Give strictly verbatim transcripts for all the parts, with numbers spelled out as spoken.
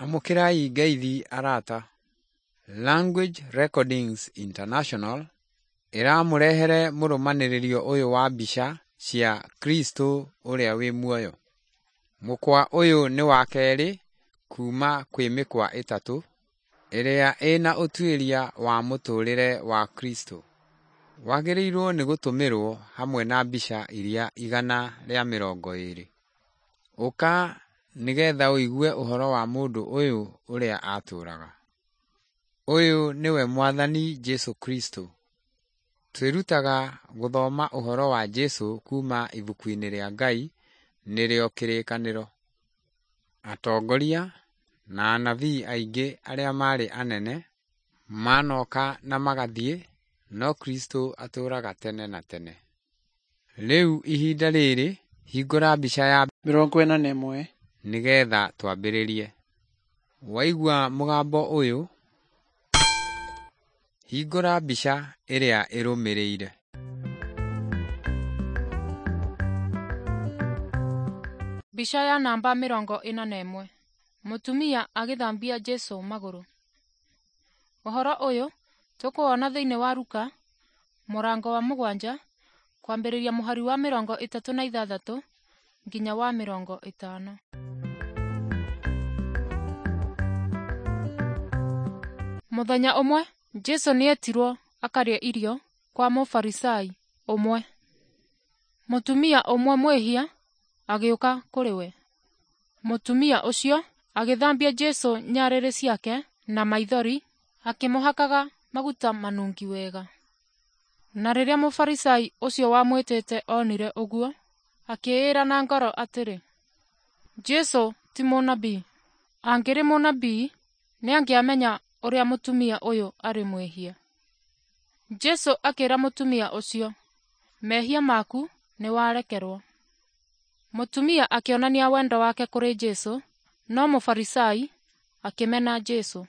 Amũkĩrai ngeithi arata. Language Recordings International ĩramũrehere mũrũmanĩrĩrio ũyũ wa mbica cia Kristo ũrĩa wĩ muoyo. Mũkwa ũyũ nĩ wa kerĩ kuma kwĩ mĩkwa ĩtatũ ĩrĩa ĩna ũtuĩria wa mũtũrĩre wa Kristo. Wagĩrĩirwo nĩ gũtũmĩrwo hamwe na mbica iria igana rĩa mĩrongo ĩrĩ. Ũka nĩgetha ũigue ũhoro wa mũndũ ũyũ ũrĩa atũũraga. Ũyũ nĩwe Mwathani Jesũ Kristo. Twĩrutaga gũthoma ũhoro wa Jesũ kuma ibuku-inĩ rĩa Ngai nĩrĩo Kĩrĩkanĩro. Atongoria na anabii aingĩ arĩa maarĩ anene manoka na magathiĩ, no Kristo atũũraga tene na tene. Rĩu ihinda rĩrĩ hingũra mbica ya mĩrongo ĩna na ĩmwe nĩgetha twambĩrĩrie. Waigua mũgambo ũyũ, hingũra mbica ĩrĩa ĩrũmĩrĩire. Mbica ya namba mĩrongo ĩna na ĩmwe. Mũtumia agĩthambia Jesũ magũrũ. Ũhoro ũyũ tũkũwona thĩinĩ wa Luka mũrango wa mũgwanja kwambĩrĩria mũhari wa mĩrongo ĩtatũ na ithathatũ nginya wa mĩrongo ĩtano. Mũthenya ũmwe Jesũ nĩetirwo akarĩe irio kwa Mũfarisai ũmwe. Mũtumia ũmwe mwĩhia agĩũka kũrĩ we. Mũtumia ũcio agĩthambia Jesũ nyarĩrĩ ciake na maithori akĩmũhakaga maguta manungi wega. Na rĩrĩa Mũfarisai ũcio wamwĩtĩte onire ũguo, akĩĩra na ngoro atĩrĩ, Jesũ ti mũnabii. Angĩrĩ mũnabii nĩangĩamenya ũrĩa mũtumia ũyũ arĩ mwĩhia. Jesũ akĩra mũtumia ũcio, mehia maku nĩwarekerwo. Mũtumia akĩonania wendo wake kũrĩ Jesũ, no Mũfarisai akĩmena Jesũ.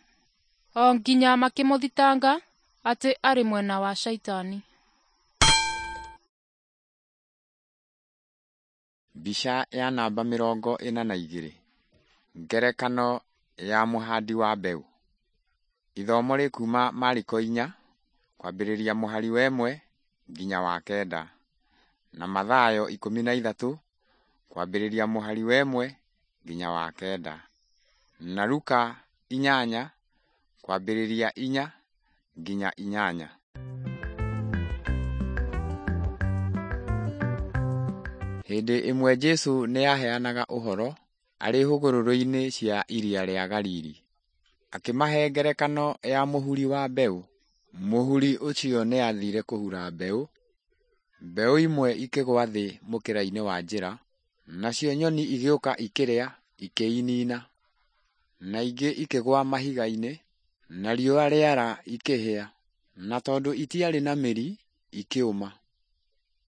O nginya makĩmũthitanga atĩ arĩ mwena wa Shaitani. Mbica ya namba mĩrongo ĩna na igĩrĩ. Ngerekano ya mũhandi wa mbeũ. Ithomo rĩkuma Mariko inya kwambĩrĩria mũhari wa ĩmwe nginya wa kenda na Mathayo ikũmi na ithatũ kwambĩrĩria mũhari wa ĩmwe nginya wa kenda na Luka inyanya kwambĩrĩria inya nginya inyanya. Hĩndĩ ĩmwe Jesũ nĩaheanaga ũhoro arĩ hũgũrũrũ-inĩ cia iria rĩa Galili. Akĩmahe ngerekano ya mũhuri wa mbeũ. Mũhuri ũcio nĩathire kũhura mbeũ. Mbeũ imwe ikĩgwa thĩ mũkĩra-inĩ wa njĩra, nacio nyoni igĩũka ikĩrĩa ikĩinina. Na ingĩ ikĩgwa mahiga-inĩ, na riũa rĩara ikĩhĩa, na tondũ itiarĩ na mĩri ikĩũma.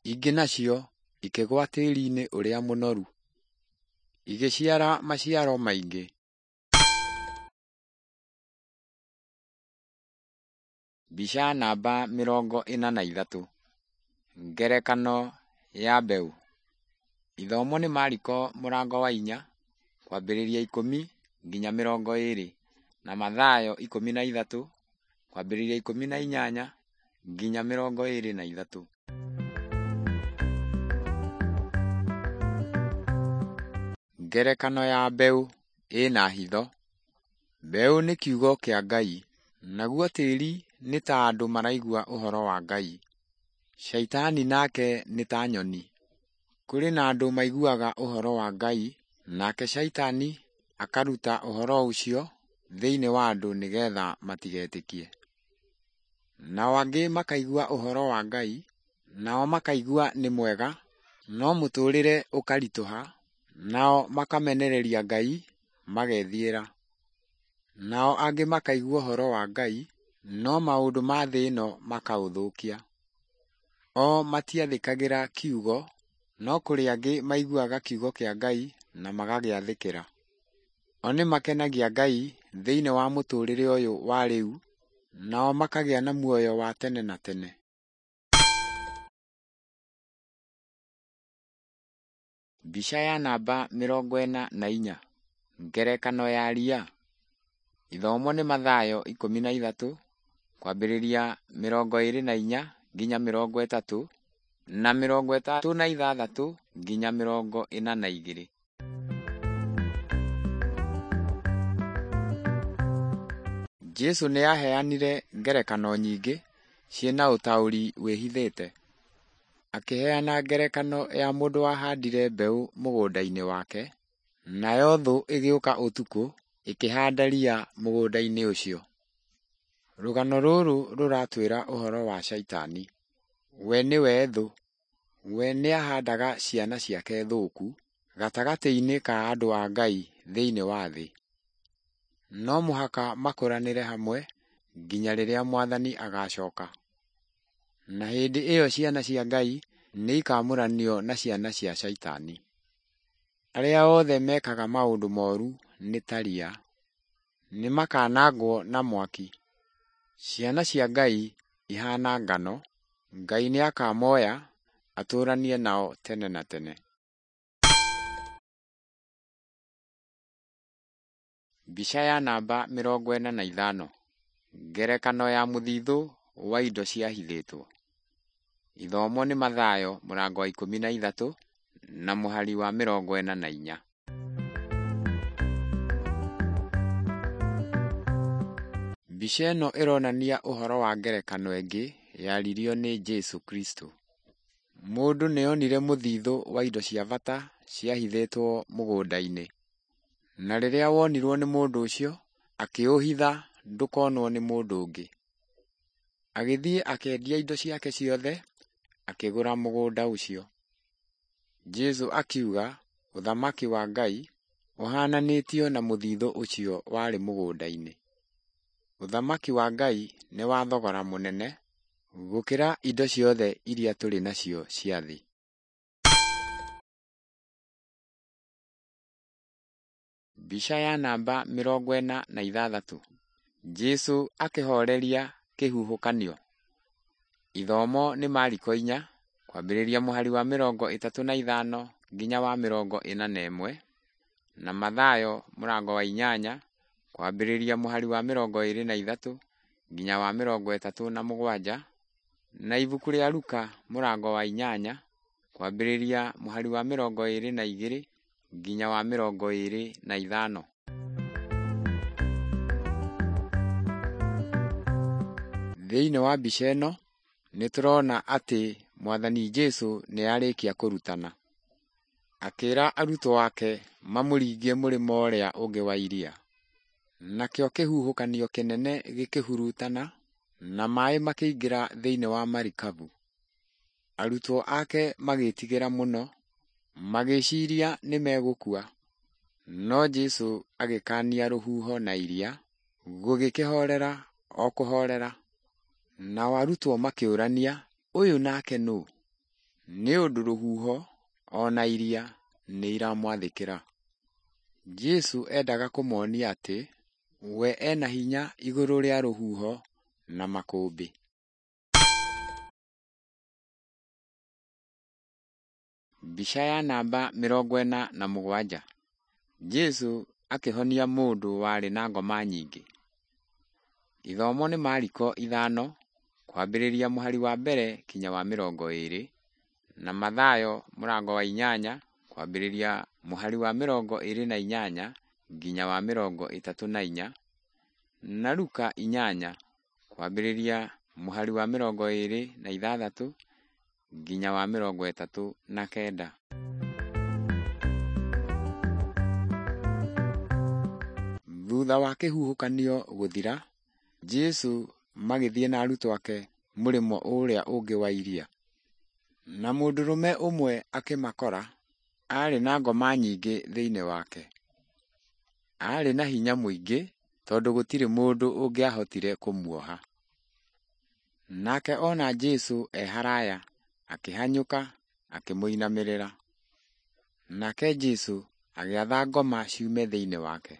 Ingĩ nacio ikĩgwa tĩĩri-inĩ ũrĩa mũnoru, igĩciara maciaro maingĩ. Mbica namba mĩrongo ĩna na ithatũ. Ngerekano ya mbeũ. Ithomo nĩ Mariko mũrango wa inya kwambĩrĩria ikũmi nginya mĩrongo ĩrĩ na Mathayo ikũmi na ithatũ kwambĩrĩria ikũmi na inyanya nginya mĩrongo ĩrĩ na ithatũ. Ngerekano ya mbeũ ĩna hitho. Mbeũ nĩ kiugo kĩa Ngai, naguo tĩri nĩ ta andũ maraigua ũhoro wa Ngai. Shaitani nake nĩ ta nyoni. Kũrĩ na andũ maiguaga ũhoro wa Ngai, nake Shaitani akaruta ũhoro ũcio thĩinĩ wa andũ nĩgetha matigetĩkie. Nao angĩ makaigua ũhoro wa Ngai, nao makaigua nĩ mwega, no mũtũũrĩre ũkaritũha, nao makamenereria Ngai magethiĩra. Nao angĩ makaigua ũhoro wa Ngai, no maũndũ ma thĩ ĩno makaũthũkia. O matiathĩkagĩra kiugo, no kũrĩ angĩ maiguaga kiugo kĩa Ngai na magagĩathĩkĩra. O nĩ makenagia Ngai thĩinĩ wa mũtũũrĩre ũyũ wa rĩu, nao makagĩa na muoyo wa tene na tene. Mbica ya namba mĩrongo ĩna na inya. Ngerekano ya ria. Ithomo nĩ Mathayo ikũmi na ithatũ kwambĩrĩria mĩrongo ĩrĩ na inya nginya mĩrongo ĩtatũ na mĩrongo ĩtatũ na ithathatũ nginya mĩrongo ĩna na igĩrĩ. Jesũ nĩ aaheanire ngerekano nyingĩ ciĩna ũtaũri wĩhithĩte. Akĩheana ngerekano ya mũndũ wahandire mbeũ mũgũnda-inĩ wake, nayo thũ ĩgĩũka ũtukũ ĩkĩhanda ria mũgũnda-inĩ ũcio. Rũgano rũrũ rũratwĩra ũhoro wa Shaitani. We nĩwe thũ. We nĩahandaga ciana ciake thũku gatagatĩ-inĩ ka andũ a Ngai thĩinĩ wa thĩ. No mũhaka makũranĩre hamwe nginya rĩrĩa Mwathani agacoka. Na hĩndĩ ĩyo ciana cia Ngai nĩ ikamũranio na ciana cia Shaitani. Arĩa othe mekaga maũndũ moru nĩ ta ria, nĩ makanangwo na mwaki. Ciana cia Ngai ihana ngano, Ngai nĩakamoya atũranie nao tene na tene. Mbica ya namba mĩrongo ĩna na ithano. Ngerekano ya mũthithũ wa indo ciahithĩtwo. Ithomo nĩ Mathayo mũrango wa ikũmi na ithatũ na mũhari wa mĩrongo ĩna na inya. Mbica ĩno ĩronania ũhoro wa ngerekano ĩngĩ yaririo nĩ Jesũ Kristo. Mũndũ nĩonire mũthithũ wa indo cia bata ciahithĩtwo mũgũnda-inĩ. Na rĩrĩa wonirwo nĩ mũndũ ũcio, akĩũhitha ndũkonwo nĩ mũndũ ũngĩ. Agĩthiĩ akĩendia indo ciake ciothe, akĩgũra mũgũnda ũcio. Jesũ akiuga ũthamaki wa Ngai ũhananĩtio na mũthithũ ũcio warĩ mũgũnda-inĩ. Ũthamaki wa Ngai nĩ wa thogora mũnene gũkĩra indo ciothe iria tũrĩ nacio cia thĩ. Mbica ya namba mĩrongo ĩna na ithathatũ. Jesũ akĩhoreria kĩhuhũkanio. Ithomo nĩ Mariko inya kwambĩrĩria mũhari wa mĩrongo ĩtatũ na ithano nginya wa mĩrongo ĩna na ĩmwe na Mathayo mũrango wa inyanya kwambĩrĩria mũhari wa mĩrongo ĩrĩ na ithatũ nginya wa mĩrongo ĩtatũ na mũgwanja na ibuku rĩa Luka mũrango wa inyanya kwambĩrĩria mũhari wa mĩrongo ĩrĩ na igĩrĩ nginya wa mĩrongo ĩrĩ na ithano. Thĩinĩ wa mbica ĩno nĩ tũrona atĩ Mwathani Jesũ nĩ arĩkia kũrutana. Akĩra arutwo ake mamũringie mũrĩmo ũrĩa ũngĩ wa iria. Nakĩo kĩhuhũkanio kĩnene gĩkĩhurutana na maĩ makĩingĩra thĩinĩ wa marikabu. Arutwo ake magĩtigĩra mũno, magĩciria nĩ megũkua. No Jesũ agĩkaania rũhuho na iria, gũgĩkĩhorera o kũhorera. Nao arutwo makĩũrania, ũyũ nake nũ? Nĩ ũndũ rũhuho o na iria nĩ iramwathĩkĩra. Jesũ endaga kũmonia atĩ we ena hinya igũrũ rĩa rũhuho na makũmbĩ. Mbica ya namba mĩrongo ĩna na mũgwanja. Jesũ akĩhonia mũndũ warĩ na ngoma nyingĩ. Ithomo nĩ Mariko ithano kwambĩrĩria mũhari wa mbere kinya wa mĩrongo ĩrĩ na Mathayo mũrango wa inyanya kwambĩrĩria mũhari wa mĩrongo ĩrĩ na inyanya nginya wa mĩrongo ĩtatũ na inya na Luka inyanya kwambĩrĩria mũhari wa mĩrongo ĩrĩ na ithathatũ nginya wa mĩrongo ĩtatũ na kenda. Thutha wa kĩhuhũkanio gũthira, Jesũ magĩthiĩ na arutwo ake mũrĩmo ũrĩa ũngĩ wa iria. Na mũndũrũme ũmwe akĩmakora, aarĩ na ngoma nyingĩ thĩinĩ wake. Aarĩ na hinya mũingĩ tondũ gũtirĩ mũndũ ũngĩahotire kũmuoha. Nake ona Jesũ e haraya, akĩhanyũka akĩmũinamĩrĩra. Nake Jesũ agĩatha ngoma ciume thĩinĩ wake.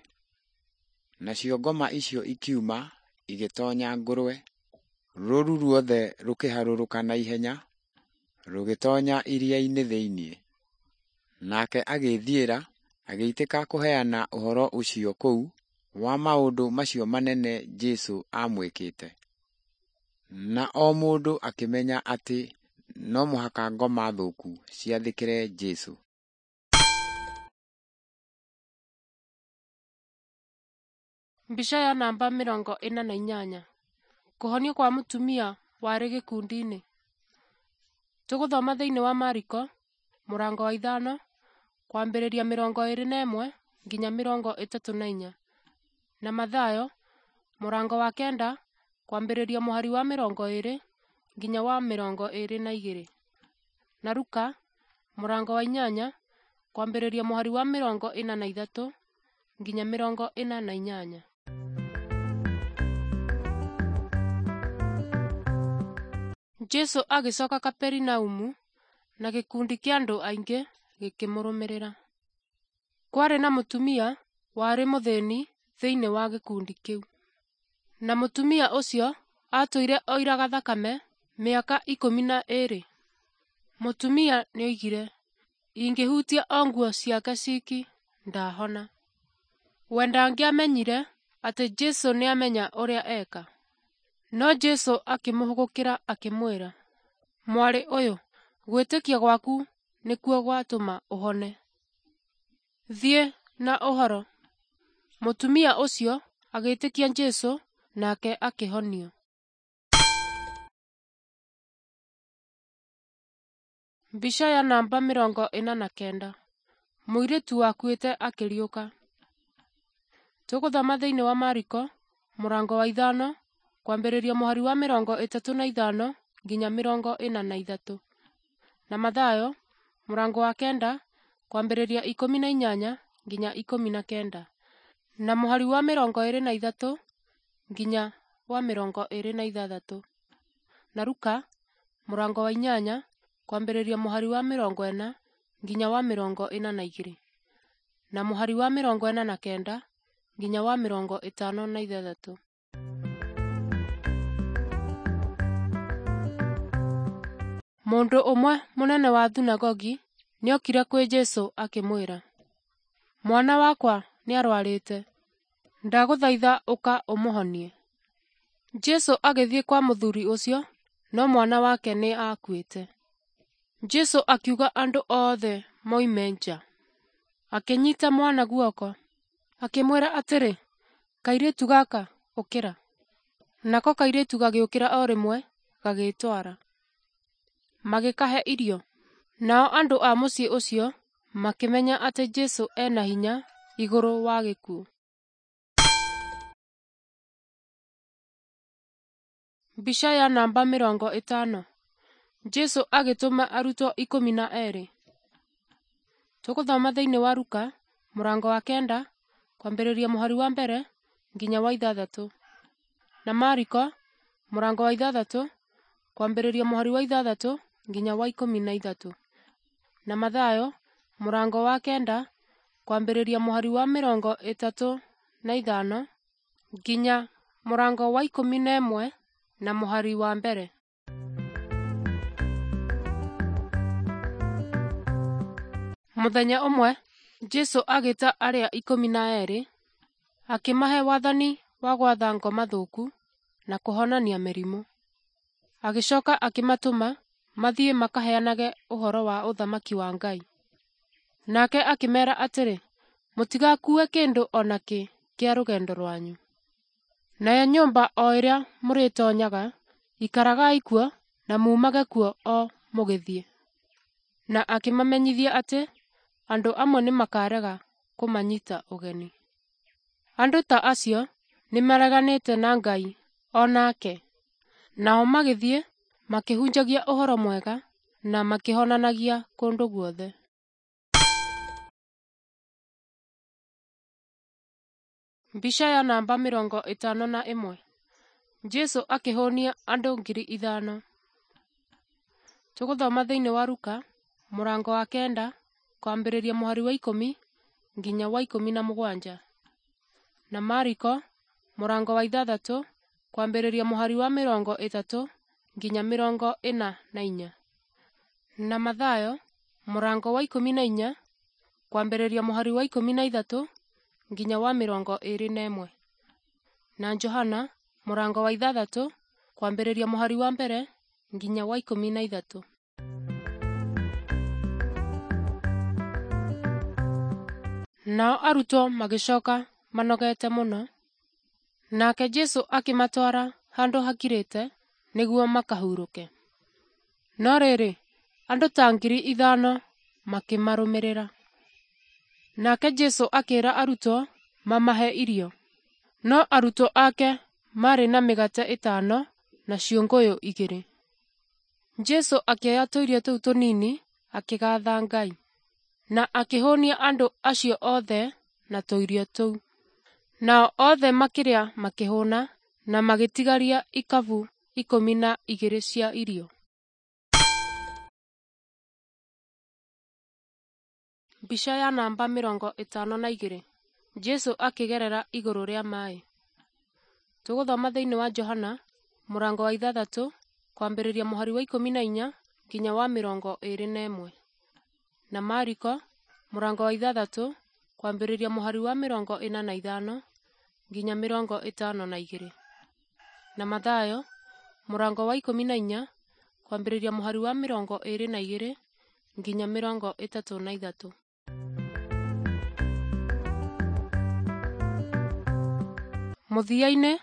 Nacio ngoma icio ikiuma igĩtonya ngũrwe, rũũru ruothe rũkĩharũrũka na ihenya rũgĩtonya iria-inĩ thĩinĩ. Nake agĩĩthiĩra agĩitĩka kũheana ũhoro ũcio kũu wa maũndũ macio manene Jesũ aamwĩkĩte. Na o mũndũ akĩmenya atĩ no mũhaka ngoma thũku ciathĩkĩre Jesũ. Mbica ya namba mĩrongo ĩna na inyanya. Kũhonio kwa mũtumia warĩ gĩkundi-inĩ. Tũgũthoma thĩinĩ wa Mariko mũrango wa ithano kwambĩrĩria mĩrongo ĩrĩ na ĩmwe nginya mĩrongo ĩtatũ na inya, na Mathayo mũrango wa kenda kwambĩrĩria mũhari wa mĩrongo ĩrĩ nginya wa mĩrongo ĩrĩ na igĩrĩ, na Luka mũrango wa inyanya kwambĩrĩria mũhari wa mĩrongo ĩna na ithatũ nginya mĩrongo ĩna na inyanya. Jesũ agĩcoka Kaperinaumu na gĩkundi kĩa andũ aingĩ gĩkĩmũrũmĩrĩra. Kwarĩ na mũtumia warĩ mũthĩni thĩinĩ wa gĩkundi kĩu. Na mũtumia ũcio aatũire oiraga thakame mĩaka ikũmi na ĩĩrĩ. Mũtumia nĩoigire, ingĩhutia o nguo ciake ciki, ndahona. We ndangĩamenyire atĩ Jesũ nĩamenya ũrĩa eka. No Jesũ akĩmũhũgũkĩra akĩmwĩra, mwarĩ ũyũ, gwĩtĩkia gwaku nĩkuo gwatũma ũhone. Thiĩ na ũhoro. Mũtumia ũcio agĩĩtĩkia Jesũ nake akĩhonio. Mbica ya namba mĩrongo ĩna na kenda. Mũirĩtu wakuĩte akĩriũka. Tũgũthoma thĩinĩ wa Mariko mũrango wa ithano kwambĩrĩria mũhari wa mĩrongo ĩtatũ na ithano nginya mĩrongo ĩna na ithatũ, na Mathayo mũrango wa kenda kwambĩrĩria ikũmi na inyanya nginya ikũmi na kenda, na mũhari wa mĩrongo ĩrĩ na ithatũ nginya wa mĩrongo ĩrĩ na ithathatũ, na Luka mũrango wa inyanya kwambĩrĩria mũhari wa mĩrongo ĩna nginya wa mĩrongo ĩna na igĩrĩ, na mũhari wa mĩrongo ĩna na kenda nginya wa mĩrongo ĩtano na ithathatũ. Mũndũ ũmwe mũnene wa thunagogi nĩokire kwĩ Jesũ akĩmwĩra, mwana wakwa nĩarwarĩte, ndagũthaitha ũka ũmũhonie. Jesũ agĩthiĩ kwa mũthuri ũcio, no mwana wake nĩ aakuĩte. Jesũ akiuga andũ othe moime nja. Akĩnyita mwana guoko, akĩmwĩra atĩrĩ, kairĩtu gaka, ũkĩra. Nako kairĩtu gagĩũkĩra o rĩmwe, gagĩĩtwara. Magĩkahe irio. Nao andũ a mũciĩ ũcio makĩmenya atĩ Jesũ ena hinya igũrũ wa gĩkuũ. Mbica ya namba mĩrongo ĩtano. Jesũ agĩtũma arutwo ikũmi na erĩ. Tũgũthoma thĩinĩ wa Luka mũrango wa kenda kwambĩrĩria mũhari wa mbere nginya wa ithathatũ, na Mariko mũrango wa ithathatũ kwambĩrĩria mũhari wa ithathatũ nginya wa ikũmi na ithatũ, na Mathayo mũrango wa kenda kwambĩrĩria mũhari wa mĩrongo ĩtatũ na ithano nginya mũrango wa ikũmi na ĩmwe na mũhari wa mbere. Mũthenya ũmwe Jesũ agĩta arĩa ikũmi na erĩ, akĩmahe wathani wa gwatha ngoma thũku na kũhonania mĩrimũ. Agĩcoka akĩmatũma mathiĩ makaheanage ũhoro wa ũthamaki wa Ngai. Nake akĩmeera atĩrĩ, mũtigakue kĩndũ o nakĩ kĩa rũgendo rwanyu. Nayo nyũmba o ĩrĩa mũrĩtoonyaga, ikaragai kuo na muumage kuo o mũgĩthiĩ. Na akĩmamenyithia atĩ andũ amwe nĩmakarega kũmanyita ũgeni. Andũ ta acio nĩmareganĩte na Ngai o nake. Nao magĩthiĩ makĩhunjagia ũhoro mwega na makĩhonanagia kũndũ guothe. Mbica ya namba mĩrongo ĩtano na ĩmwe. Jesũ akĩhũnia andũ ngiri ithano. Tũgũthoma thĩinĩ wa Luka mũrango wa kenda kwambĩrĩria mũhari wa ikũmi nginya wa ikũmi na mũgwanja, na Mariko mũrango wa ithathatũ kwambĩrĩria mũhari wa mĩrongo ĩtatũ nginya mĩrongo ĩna na inya, na Mathayo mũrango wa ikũmi na inya kwambĩrĩria mũhari wa ikũmi na ithatũ nginya wa mĩrongo ĩĩrĩ na ĩmwe. Na Johana mũrango wa ithathatũ kwambĩrĩria mũhari wa mbere nginya wa ikũmi na ithatũ. Nao arutwo magĩcoka manogete mũno. Nake Jesũ akĩmatwara handũ hakirĩte nĩguo makahurũke. No rĩrĩ, andũ ta ngiri ithano makĩmarũmĩrĩra. Nake Jesũ akĩĩra arutwo mamahe irio. No arutwo ake maarĩ na mĩgate ĩtano na ciũngũyũ igĩrĩ. Jesũ akĩoya tũirio tũu tũnini akĩgaatha Ngai, na akĩhũnia andũ acio othe na tũirio tũu. Nao othe makĩrĩa makĩhũna na magĩtigaria ikabu ikũmi na igĩrĩ cia irio. Mbica ya namba mĩrongo ĩtano na igĩrĩ. Jesũ akĩgerera igũrũ rĩa maĩ. Tũgũthoma thĩinĩ wa Johana mũrango wa ithathatũ kwambĩrĩria mũhari wa ikũmi na inya nginya wa mĩrongo ĩĩrĩ na ĩmwe. Na Mariko mũrango wa ithathatũ kwambĩrĩria mũhari wa mĩrongo ĩna na ithano nginya mĩrongo ĩtano na igĩrĩ. Na Mathayo mũrango wa ikũmi na inya kwambĩrĩria mũhari wa mĩrongo ĩĩrĩ na igĩrĩ nginya mĩrongo ĩtatũ na ithatũ. Mũthia-inĩ,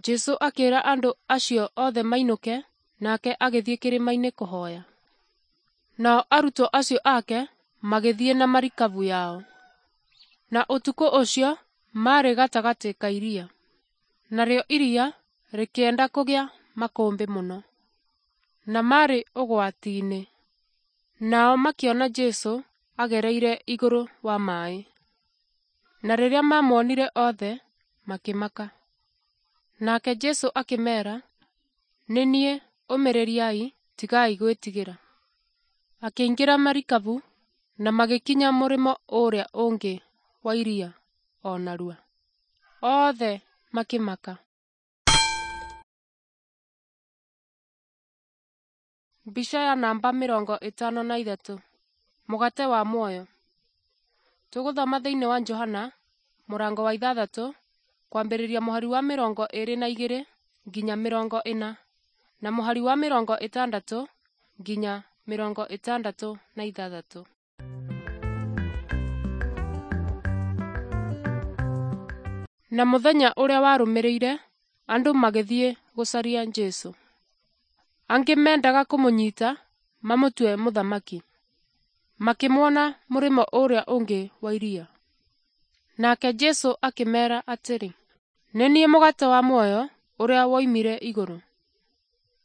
Jesũ akĩĩra andũ acio othe mainũke, nake agĩthiĩ kĩrĩma-inĩ kũhoya. Nao arutwo acio ake magĩthiĩ na marikabu yao. Na ũtukũ ũcio maarĩ gatagatĩ ka iria, narĩo iria rĩkĩenda kũgĩa makũmbĩ mũno, na maarĩ ũgwati-inĩ. Nao makĩona Jesũ agereire igũrũ wa maaĩ. Na rĩrĩa maamuonire othe, makĩmaka. Nake Jesũ akĩmeera, “Nĩ niĩ, ũmĩrĩriai, tigai gwĩtigĩra.” Akĩingĩra marikabu na magĩkinya mũrĩmo ũrĩa ũngĩ wa iria o narua. Othe makĩmaka. Mbica ya namba mĩrongo ĩtano na ithatũ. Mũgate wa muoyo. Tũgũthoma thĩinĩ wa Johana mũrango wa ithathatũ kwambĩrĩria mũhari wa mĩrongo ĩĩrĩ na igĩrĩ nginya mĩrongo ĩna, na mũhari wa mĩrongo ĩtandatũ nginya mĩrongo ĩtandatũ na ithathatũ. Na mũthenya ũrĩa warũmĩrĩire, andũ magĩthiĩ gũcaria Jesũ. Angĩ mendaga kũmũnyita mamũtue mũthamaki. Makĩmuona mũrĩmo ũrĩa ũngĩ wa iria. Nake Jesũ akĩmeera atĩrĩ, “Nĩ niĩ mũgate wa muoyo ũrĩa woimire igũrũ.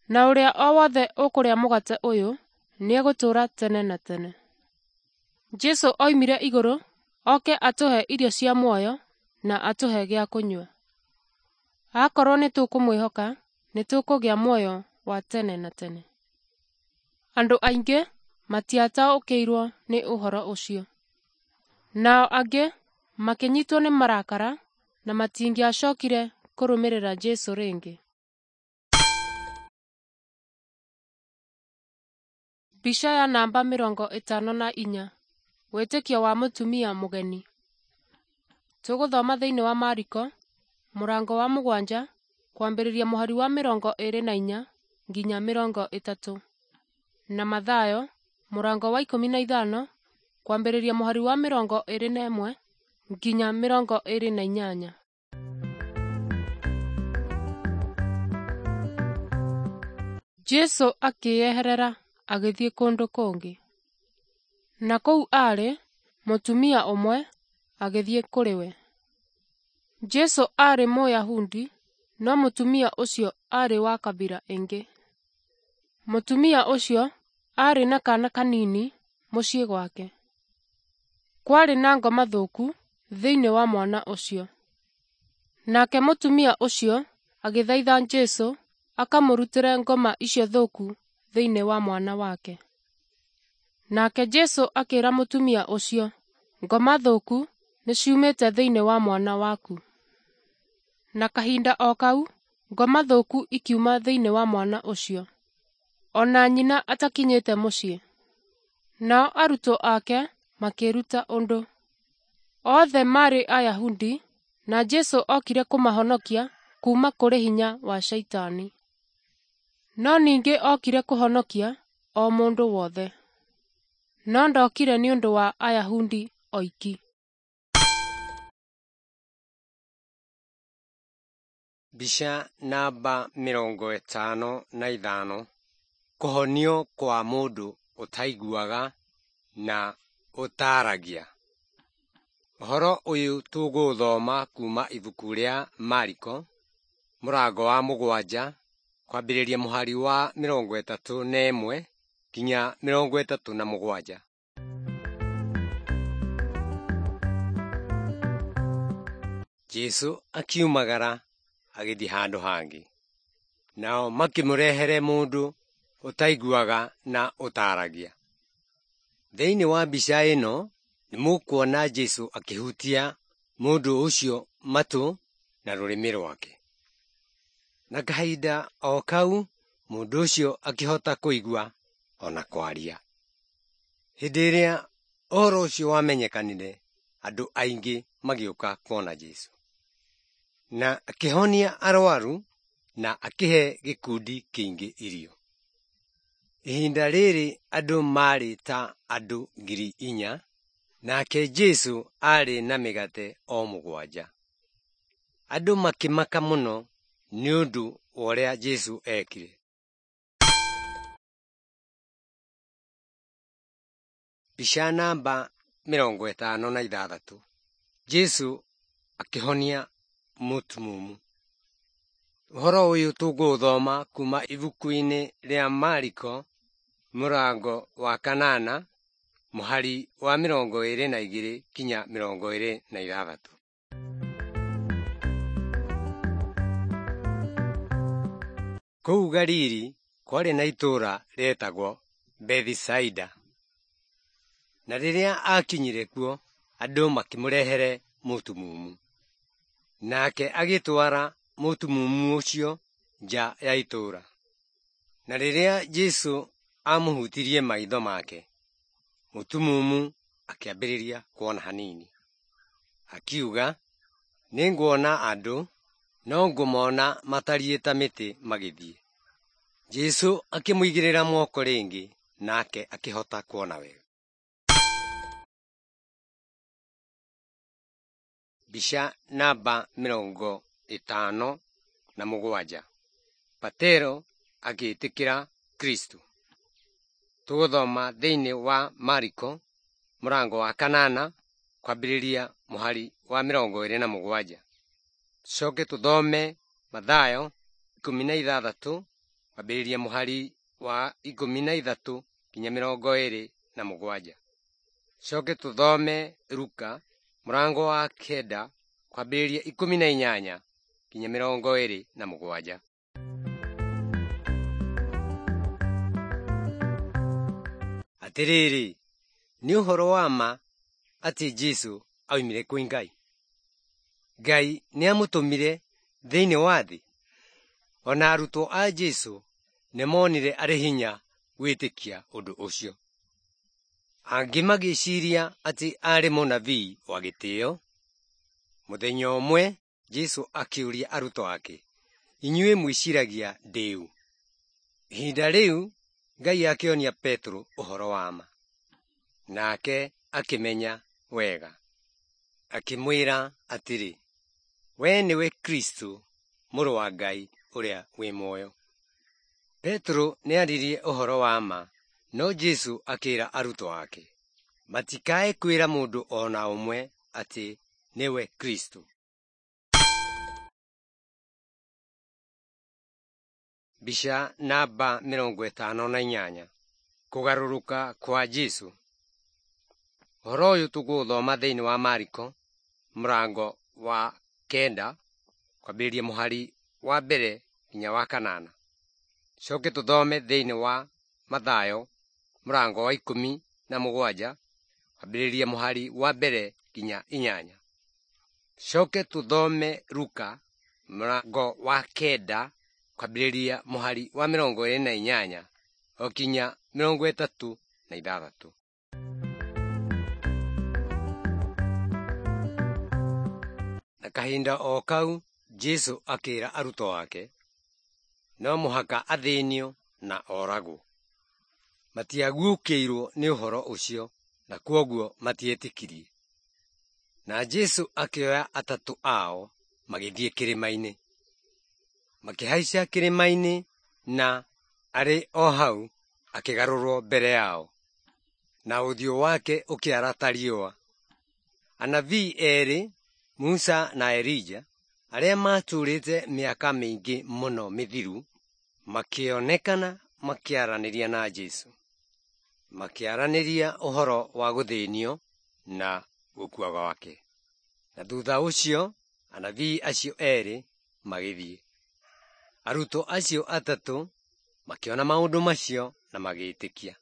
Na ũrĩa o wothe ũkũrĩa mũgate ũyũ nĩegũtũũra tene na tene.” Jesũ oimire igũrũ oke atũhe irio cia muoyo na atũhe gĩa kũnyua. Akorwo nĩtũkũmwĩhoka, nĩtũkũgĩa muoyo wa tene na tene. Andũ aingĩ matiataũkĩirwo nĩ ũhoro ũcio. Nao angĩ makĩnyitwo nĩ marakara na matingĩacokire kũrũmĩrĩra Jesũ rĩngĩ. Mbica ya namba mĩrongo ĩtano na inya. Wĩtĩkio wa mũtumia mũgeni. Tũgũthoma thĩinĩ wa Mariko mũrango wa mũgwanja kwambĩrĩria mũhari wa mĩrongo ĩĩrĩ na inya nginya mĩrongo ĩtatũ. Na Mathayo mũrango wa ikũmi na ithano kwambĩrĩria mũhari wa mĩrongo ĩĩrĩ na ĩmwe nginya mĩrongo ĩĩrĩ na inyanya. Jesũ akĩĩyeherera agĩthiĩ kũndũ kũngĩ. Na kũu aarĩ, mũtumia ũmwe agĩthiĩ kũrĩ we. Jesũ aarĩ Mũyahudi, no mũtumia ũcio aarĩ wa kabira ĩngĩ. Mũtumia ũcio aarĩ na kaana kanini mũciĩ gwake. Kwarĩ na ngoma thũku thĩinĩ wa mwana ũcio. Nake mũtumia ũcio agĩthaitha Jesũ akamũrutĩre ngoma icio thũku thĩinĩ wa mwana wake. Nake Jesũ akĩĩra mũtumia ũcio, “Ngoma thũku nĩciumĩte thĩinĩ wa mwana waku.” Na kahinda o kau ngoma thũku ikiuma thĩinĩ wa mwana ũcio, o na nyina atakinyĩte mũciĩ. Nao arutwo ake makĩĩruta ũndũ. Othe maarĩ Ayahudi na Jesũ okire kũmahonokia kuuma kũrĩ hinya wa Shaitani. No ningĩ okire kũhonokia o mũndũ wothe. No ndokire nĩ ũndũ wa Ayahudi oiki. Mbica namba mĩrongo ĩtano na ithano kũhonio kwa mũndũ ũtaiguaga na ũtaaragia. Ũhoro ũyũ tũgũũthoma kuma ibuku rĩa Mariko mũrango wa mũgwanja kwambĩrĩria mũhari wa mĩrongo ĩtatũ na ĩmwe nginya mĩrongo ĩtatũ na mũgwanja. Jesũ akiumagara agĩthiĩ handũ hangĩ. Nao makĩmũrehere mũndũ ũtaiguaga na ũtaaragia. Thĩinĩ wa mbica ĩno nĩmũkuona Jesũ akĩhutia mũndũ ũcio matũ na rũrĩmĩ rwake. Na kahinda o kau mũndũ ũcio akĩhota kũigua ona kwaria. Hĩndĩ ĩrĩa ũhoro ũcio wamenyekanire, andũ aingĩ magĩũka kuona Jesũ. Na akĩhonia arwaru na akĩhe gĩkundi kĩingĩ irio. Ihinda rĩrĩ andũ maarĩ ta andũ ngiri inya, nake Jesũ aarĩ na mĩgate o mũgwanja. Andũ makĩmaka mũno nĩ ũndũ wa ũrĩa Jesũ eekire. Mbica namba mĩrongo ĩtano na ithathatũ. Jesũ akĩhonia mũtumumu. Ũhoro ũyũ tũgũũthoma kuma ibuku-inĩ rĩa Mariko mũrango wa kanana mũhari wa mĩrongo ĩrĩ na igĩrĩ nginya mĩrongo ĩrĩ na ithathatũ. Kũu Galili kwarĩ na itũũra rĩetagwo Bethisaida. Na rĩrĩa aakinyire kuo, andũ makĩmũrehere mũtumumu. Nake agĩtwara mũtumumu ũcio nja ya itũũra. Na rĩrĩa Jesũ aamũhutirie maitho make, mũtumumu akĩambĩrĩria kuona hanini. Akiuga, “Nĩnguona andũ, no ngũmona matariĩ ta mĩtĩ magĩthiĩ.” Jesũ akĩmũigĩrĩra moko rĩngĩ, nake akĩhota kuona wega. Mbica namba mĩrongo ĩtano na mũgwanja. Petero agĩtĩkĩra Kristo. Tũgũthoma thĩinĩ wa Mariko mũrango wa kanana kwambĩrĩria mũhari wa mĩrongo ĩrĩ na mũgwanja. Tũcoke tũthome Mathayo ikũmi na ithathatũ kwambĩrĩria mũhari wa ikũmi na ithatũ nginya mĩrongo ĩrĩ na mũgwanja. Tũcoke tũthome Luka mũrango wa kenda kwambĩrĩria ikũmi na inyanya nginya mĩrongo ĩrĩ na mũgwanja. Atĩrĩrĩ, nĩ ũhoro wa ma atĩ Jesũ aumire kwĩ Ngai. Ngai nĩamũtũmire thĩinĩ wa thĩ. Ona arutwo a Jesũ nĩmonire arĩ hinya gwĩtĩkia ũndũ ũcio. Angĩ magĩciria atĩ aarĩ mũnabii wa gĩtĩo. Mũthenya ũmwe Jesũ akĩũria arutwo ake, “Inyuĩ mwĩciragia ndĩ ũ?” Ihinda rĩu Ngai akĩonia Petero ũhoro wa ma. Nake akĩmenya wega. Akĩmwĩra atĩrĩ, “Wee nĩwe Kristo, Mũrũ wa Ngai ũrĩa wĩ muoyo.” Petero nĩaririe ũhoro wa ma, no Jesũ akĩĩra arutwo ake matikae kwĩra mũndũ o na ũmwe atĩ nĩwe Kristo. Mbica namba mĩrongo ĩtano na inyanya. Kũgarũrũka kwa Jesũ. Ũhoro ũyũ tũgũũthoma thĩinĩ wa Mariko mũrango wa kenda kwambĩrĩria mũhari wa mbere nginya wa kanana. Tũcoke tũthome thĩinĩ wa Mathayo mũrango wa ikũmi na mũgwanja kwambĩrĩria mũhari wa mbere nginya inyanya. Tũcoke tũthome Luka mũrango wa kenda kwambĩrĩria mũhari wa mĩrongo ĩrĩ na inyanya o kinya mĩrongo ĩtatũ na ithathatũ. kahinda o kau Jesũ akĩra arutwo ake, no mũhaka athĩnio na oragwo. Matiaguũkĩirwo nĩ ũhoro ũcio na kwoguo matietĩkirie. Na Jesũ akĩoya atatũ ao magĩthiĩ kĩrĩma-inĩ. Makĩhaica kĩrĩma-inĩ na arĩ o hau akĩgarũrwo mbere yao, na ũthiũ wake ũkĩara ta riũa. Anabii erĩ, Musa na Elija, arĩa maatũũrĩte mĩaka mĩingĩ mũno mĩthiru, makĩonekana makĩaranĩria na Jesũ. Makĩaranĩria ũhoro wa gũthĩnio na gũkua gwake. Na thutha ũcio anabii acio erĩ magĩthiĩ. Arutwo acio atatũ makĩona maũndũ macio na magĩtĩkia.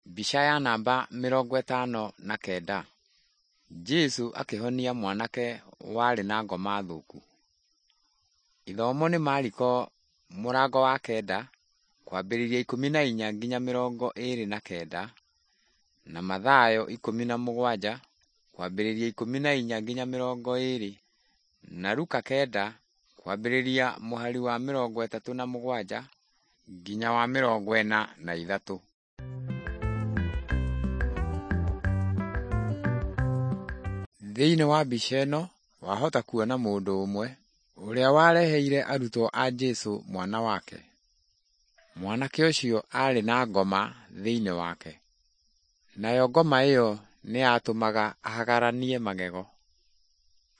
Mbica ya namba mĩrongo ĩtano na kenda. Jesũ akĩhonia mwanake warĩ na ngoma thũku. Ithomo nĩ Mariko mũrango wa kenda kwambĩrĩria ikũmi na inya nginya mĩrongo ĩrĩ na kenda na Mathayo ikũmi na mũgwanja kwambĩrĩria ikũmi na inya nginya mĩrongo ĩrĩ na Luka kenda kwambĩrĩria mũhari wa mĩrongo ĩtatũ na mũgwanja nginya wa mĩrongo ĩna na ithatũ. Thĩinĩ wa mbica ĩno wahota kuona mũndũ ũmwe ũrĩa wareheire arutwo a Jesũ mwana wake. Mwanake ũcio aarĩ na ngoma thĩinĩ wake, nayo ngoma ĩyo nĩ yatũmaga ahagaranie magego.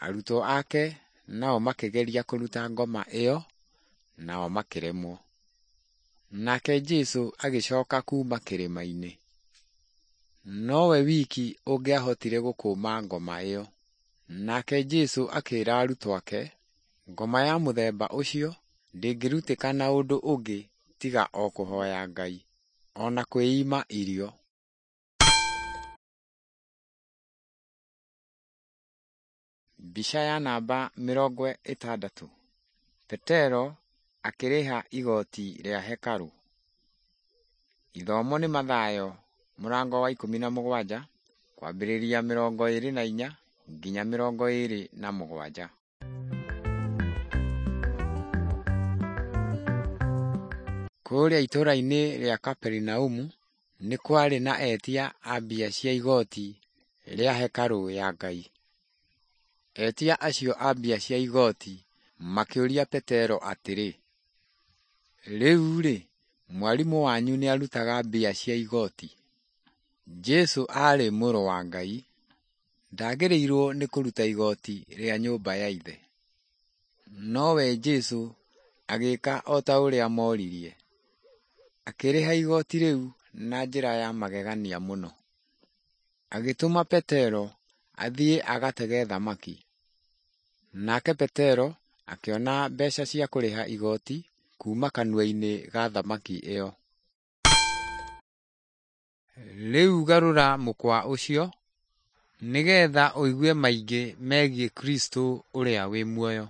Arutwo ake nao makĩgeria kũruta ngoma ĩyo nao makĩremwo. Nake Jesũ agĩcoka kuuma kĩrĩma-inĩ. Nowe wiki ũngĩahotire gũkũma ngoma ĩyo. Nake Jesũ akĩra arutwo ake, ngoma ya mũthemba ũcio ndĩngĩrutĩka na ũndũ ũngĩ tiga o kũhoya Ngai, o na kwĩima irio. Mbica ya namba mĩrongo ĩtandatũ. Petero akĩrĩha igoti rĩa hekarũ. Ithomo nĩ Mathayo mũrango wa ikũmi na mũgwanja kwambĩrĩria mĩrongo ĩrĩ na inya nginya mĩrongo ĩrĩ na mũgwanja. Kũrĩa itũũra-inĩ rĩa Kaperinaumu nĩ kwarĩ na etia a mbia cia igoti rĩa hekarũ ya Ngai. Etia acio a mbia cia igoti makĩũria Petero atĩrĩ, rĩu-rĩ, mwarimũ wanyu nĩarutaga mbia cia igoti? Jesũ aarĩ mũrũ wa Ngai, ndaagĩrĩirwo nĩ kũruta igoti rĩa nyũmba ya ithe. Nowe Jesũ agĩĩka o ta ũrĩa moririe. Akĩrĩha igoti rĩu na njĩra ya magegania mũno. Agĩtũma Petero athiĩ agatege thamaki. Nake Petero akĩona mbeca cia kũrĩha igoti kuuma kanua-inĩ ga thamaki ĩyo. Rĩu garũra mũkwa ũcio nĩgetha ũigue maingĩ megiĩ Kristo ũrĩa wĩ muoyo.